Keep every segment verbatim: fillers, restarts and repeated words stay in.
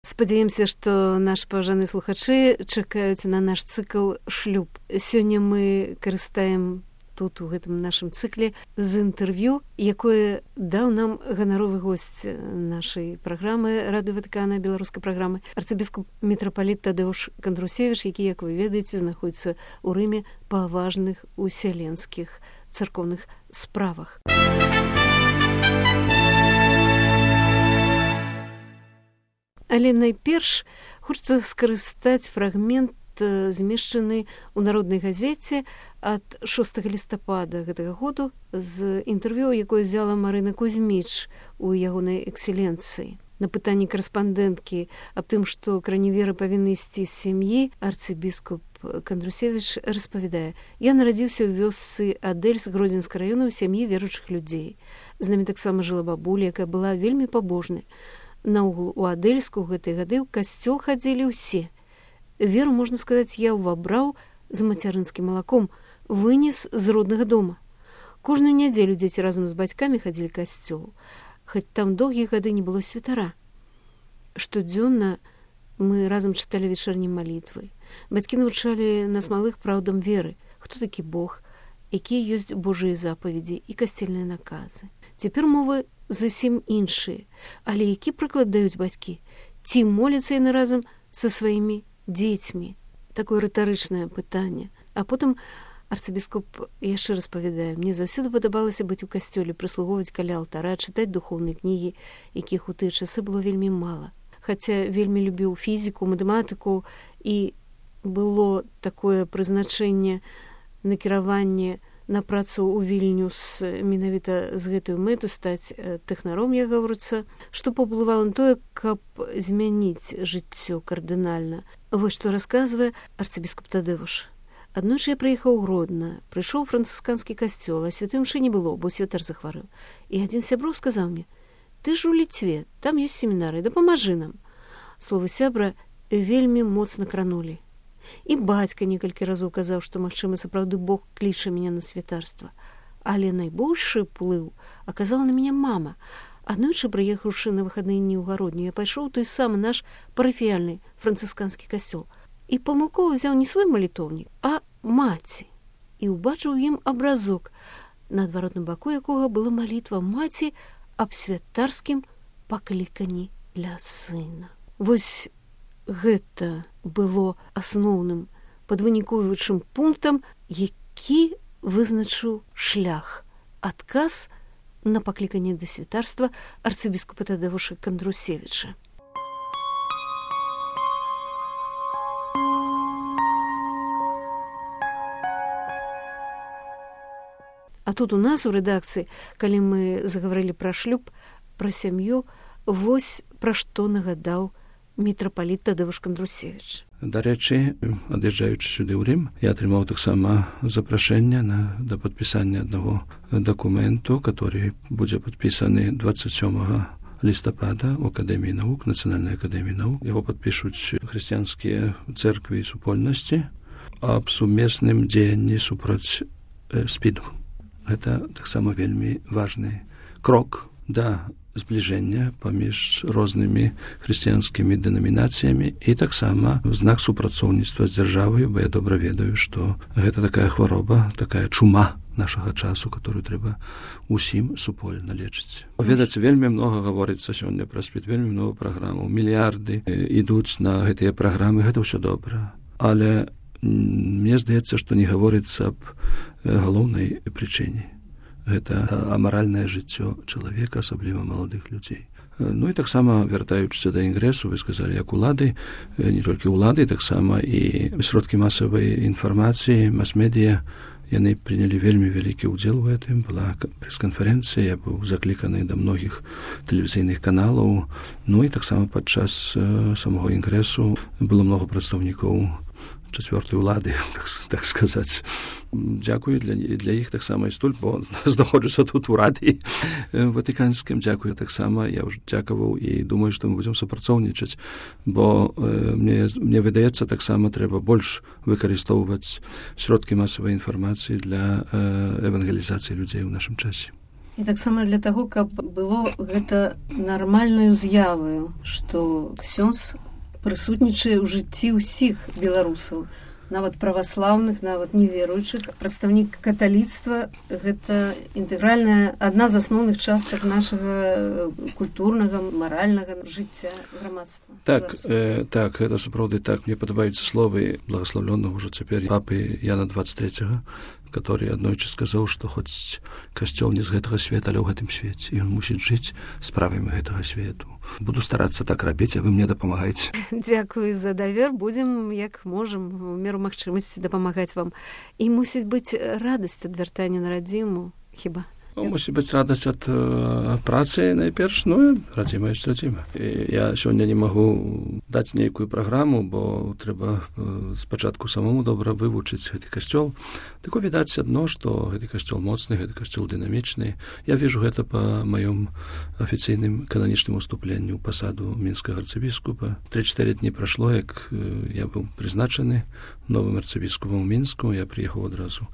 Спадзяемся, што нашы паважаныя слухачы чакаюць на наш цыкл «Шлюб». Сёння мы карыстаем тут, у гэтым нашым цыкле, з інтэрв'ю, якое даў нам ганаровы госць нашай праграмы Радыё Ватыкана, беларускай праграмы, арцыбіскуп мітрапаліт Тадеуш Кандрусевіч, які, як вы ведаеце, знаходзіцца ў Рыме па важных усяленскіх царкоўных справах. Але найперш хочацца скарыстаць фрагмент, змешчаны ў народнай газеце ад шостага лістапада гэтага году з інтэрв'ю, якое взяла Марына Кузьміч у ягонай экселенцыі. На пытанні карэспандэнткі аб тым, што краневеры павінны ісці з сям'і, арцыбіскуп Кандрусевіч распавядае: «Я нарадзіўся ў вёсцы Адэльс Гродзенскага раёна ў сям'і веруючых людзей. З намі таксама жыла бабуля, якая была вельмі пабожнай. Наогул у Адэльску ў гэтыя гады ў касцёл хадзілі ўсе. Веру, можна сказаць, я ўвабраў з мацярынскім малаком, вынес з роднага дома. Кожную нядзелю дзеці разам з бацькамі хадзілі к касцёлу, хоць там доўгія гады не было святара. Штодзённа мы разам чыталі вечарнія малітвы. Бацькі навучалі нас малых праўдам веры, хто такі Бог, якія ёсць Божыя запаведзі і касцельныя наказы. Цяпер мовы зусім іншыя, але які прыклад даюць бацькі? Ці моляцца яны разам са сваімі дзецьмі?» Такое рытарычнае пытанне. А потым арцыбіскуп яшчэ распавядае: «Мне заўсёды падабалася быць у касцёле, прыслугоўваць каля алтара, чытаць духоўныя кнігі, якіх у тыя часы было вельмі мала. Хаця вельмі любіў фізіку, матэматыку, і было такое прызначэнне, накіраванне на працу ў Вільнюс менавіта з гэтую мэту стаць тэхнаром, як гаворыцца, што паўплывала на тое, каб змяніць жыццё кардынальна». Вось што расказвае арцыбіскуп Тадеуш. «Аднойчы я прыехаў у Гродна, прыйшоў у францысканскі касцёл, а святой мшы не было, бо святар захварэў. І адзін з сяброў сказаў мне: «Ты ж у Літве, там ёсць семінары, дапамажы нам». Словы сябра вельмі моцна кранулі. І бацька некалькі разоў казаў, што, магчыма, сапраўды Бог кліча мяне на святарства. Але найбольшы ўплыў аказала на мяне мама. Аднойчы, прыехаўшы на выхадныя дні ў гародню, я пайшоў у той самы наш парафіяльны францысканскі касцёл і памылкова ўзяў не свой малітоўнік, а маці. І ўбачыў у ім абразок, на адваротным баку якога была малітва маці аб святарскім пакліканні для сына». Вось гэта было асноўным падвыніковваючым пунктам, які вызначыў шлях, адказ на пакліканне да святарства арцыбіскупа Тадеуша Кандрусевіча. А тут у нас у рэдакцыі, калі мы загаварылі пра шлюб, пра сям'ю, вось пра што нагадаў мітрапаліт Тадеуш Кандрусевіч. Дарэчы, ад'язджаючы сюды ў Рым, я атрымаў таксама запрашэнне на, да падпісання аднаго дакументу, который будзе падпісаны двадцать сёмага лістапада ў Акадэміі навук, Нацыянальнай акадэміі навук. Яго падпішуць хрысціянскія цэрквы і супольнасці аб сумесным дзеянні супроць э, спіду. Гэта таксама вельмі важны крок да збліжэння паміж рознымі хрысціянскімі дэнамінацыямі і таксама знак супрацоўніцтва з дзяржавай, бо я добра ведаю, што гэта такая хвароба, такая чума нашага часу, которую трэба усім супольна лечыць. Ведаце, вельмі многа гаворыцца сёння пра спід, вельмі многа праграмаў, мільярды ідуць на гэтыя праграмы, гэта ўсё добра. Але мне здаецца, што не гаворыцца аб галоўнай прычыне. Гэта амаральнае жыццё чалавека, асабліва маладых людзей. Ну і таксама, вяртаючыся да інгрэсу, вы сказалі, як улады, не толькі ўлады, таксама і сродкі масавай інфармацыі, мас-медыя, яны прынялі вельмі вялікі ўдзел у гэтым. Была прэс-канферэнцыя, я быў закліканы да многіх тэлевізійных каналаў. Ну і таксама падчас самого інгрэсу было много прадстаўнікоў чацвёртай улады, так, так сказаць. Дзякую для, для іх таксама і стуль, бо знаходжуся тут у радыі ватыканскім. Дзякую таксама, я ўжо дзякаваў і думаю, што мы будзем супрацоўнічаць, бо э, мне, мне выдаецца, таксама трэба больш выкарыстоўваць сродкі масавай інфармацыі для э, евангелізацыі людзей у нашым часе. І таксама для таго, каб было гэта нармальнаю з'яваю, што ксёндз прысутнічае ў жыцці ўсіх беларусаў, нават праваслаўных, нават неверуючых. Прадстаўнік каталіцтва – гэта інтэгральная, адна з асноўных частак нашага культурнага, маральнага жыцця грамадства. Так, э, так, гэта сапраўды так. Мне падабаюцца словы благословленного ўжо цяпер папы Яна двадцать третьего, который аднойчы сказаў, што хоць касцёл не з гэтага света, але ў гэтым свеце. І ён мусіць жыць справамі гэтага свету. Буду старацца так рабіць, а вы мне дапамагаеце. Дзякую за давер. Будзем, як можам, у меру магчымасці дапамагаць вам. І мусіць быць радасць ад вяртання на радзіму, хіба? Мусіць быць радасць ад э, працы найперш, ну, радзіма ёсць радзіма. І я сёння не магу даць нейкую праграму, бо трэба э, спачатку самому добра вывучыць гэты касцёл. Тако відаць адно, што гэты касцёл моцны, гэты касцёл дынамічны. Я вижу гэта па маём афіцыйным кананічным уступленню ў пасаду мінскага арцыбіскупа. Тры-чатыры дні прашло, як э, я быў прызначаны новым арцыбіскупам у Мінску. Я прыехаў адразу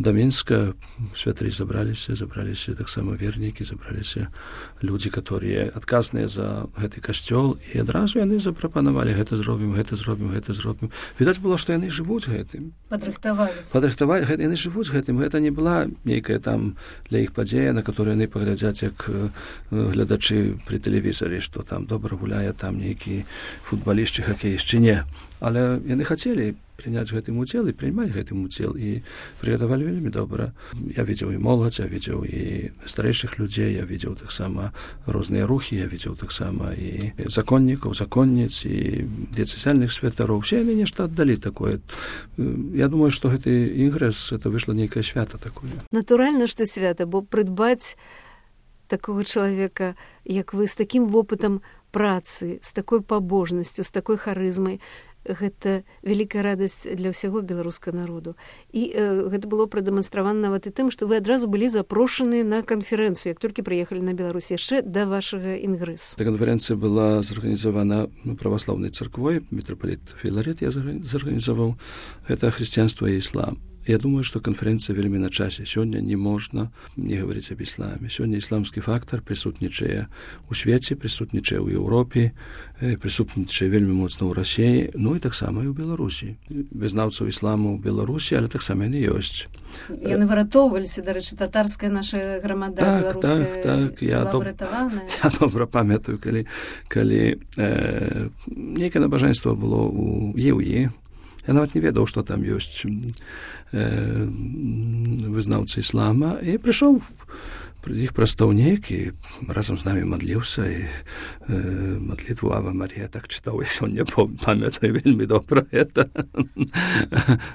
да Мінска, святары забраліся, забраліся таксама вернікі, забраліся людзі, которые адказныя за гэты касцёл, і адразу яны запрапанавалі, гэта зробім, гэта зробім, гэта зробім. Відаць было, што яны жывуць гэтым. Падрыхтаваліся. Падрыхтавалі, яны жывуць гэтым. Гэта не была нейкая там для іх падзея, на которую яны паглядзяць, як глядачы пры тэлевізары, што там добра гуляе, там нейкі футбаліст ці хакеіст, ці не. Але яны хацелі прыняць гэтым удзел і прыймаць гэтым удзел, і прыгатавалі вельмі добра. Я видел і моладзь, я видел і старэйшых людзей, я видел таксама розныя рухі, я видел таксама і законнікаў, законніц, і дыяцэзіяльных святароў. Усе яны нешта аддалі такое. Я думаю, што гэты інгрэс, это выйшла нейкае свята такое. Натуральна, што свята, бо прыдбаць такого чалавека, як вы, з такім вопытам працы, з такой пабожнасцю, з такой харызмай, гэта вялікая радасць для ўсяго беларускага народу. І э, гэта было прадэманстравана нават і тым, што вы адразу былі запрошаны на канферэнцыю, як толькі прыехалі на Беларусь, яшчэ да вашага інгрэсу. Эта канферэнцыя была зарганізавана праваслаўнай царквой, мітрапаліт Філарет я зарганізаваў. Гэта хрысціянства і іслам. Я думаю, што канферэнцыя вельмі на часе. Сёння не можна не гаварыць аб ісламе. Сёння ісламскі фактар прысутнічае ў свеце, прысутнічае ў Еўропе, прысутнічае вельмі моцна ў Расіі, ну і таксама і ў Беларусі. Вызнаўцаў ісламу ў Беларусі, але таксама яны ёсць. Яны выратоўваліся, дарэчы, татарская наша грамада, так, беларуская так, так. Я была доб... выратаваная. Я добра памятаю, калі, калі э, нейкае набажэнства было ў Еўі. Я нават не ведаў, што там ёсць э, вызнаўцы іслама, і прыйшоў іх прадстаўнік і разам з намі мадліўся, і э, мадлітву Ава Марія так чытаў, і сёння памятаю вельмі добра гэта.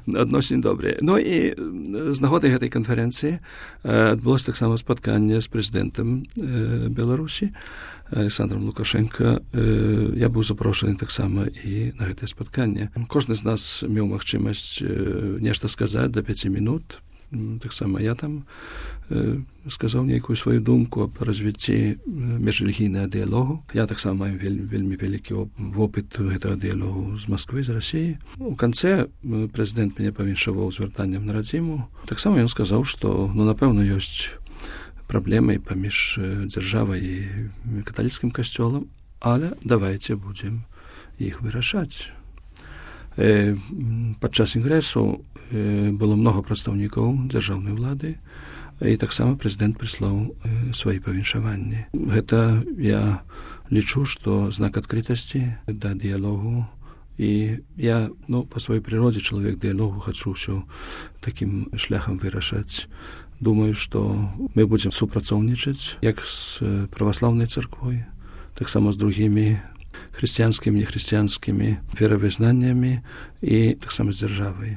Адносін добрыя. Ну і з нагодай гэтай канферэнцыі адбылося таксама спатканне з прэзідэнтам э, Беларусі, Александром Лукашенко. Я быў запрошаны таксама і на гэтае спатканне. Кожны з нас меў магчымасць нешта сказаць да пяці минут. Таксама я там сказаў нейкую сваю думку аб развіцці міжрэлігійнага дыялогу. Я таксама маю вельмі, вельмі вялікі вопыт гэтага дыялогу з Масквы, з Расіі. У канцэ прэзідэнт мяне павіншаваў звяртаннем на радзіму. Таксама ён сказаў, што, ну, напэўна, ёсць праблемай паміж дзяржавай і каталіцкім касцёлам, але давайце будзем іх вырашаць. Э, падчас інгрэсу э, было многа прадстаўнікаў дзяржаўнай улады, і таксама прэзідэнт прыслаў э, свае павіншаванні. Гэта я лічу, што знак адкрытасці да дыялогу, і я, ну, па сваёй прыродзе чалавек дыялогу, хачу ўсё такім шляхам вырашаць. Думаю, што мы будзем супрацоўнічаць як з праваслаўнай царквой, таксама з другімі хрысціянскімі, нехрысціянскімі веравызнаннямі і таксама з дзяржавай.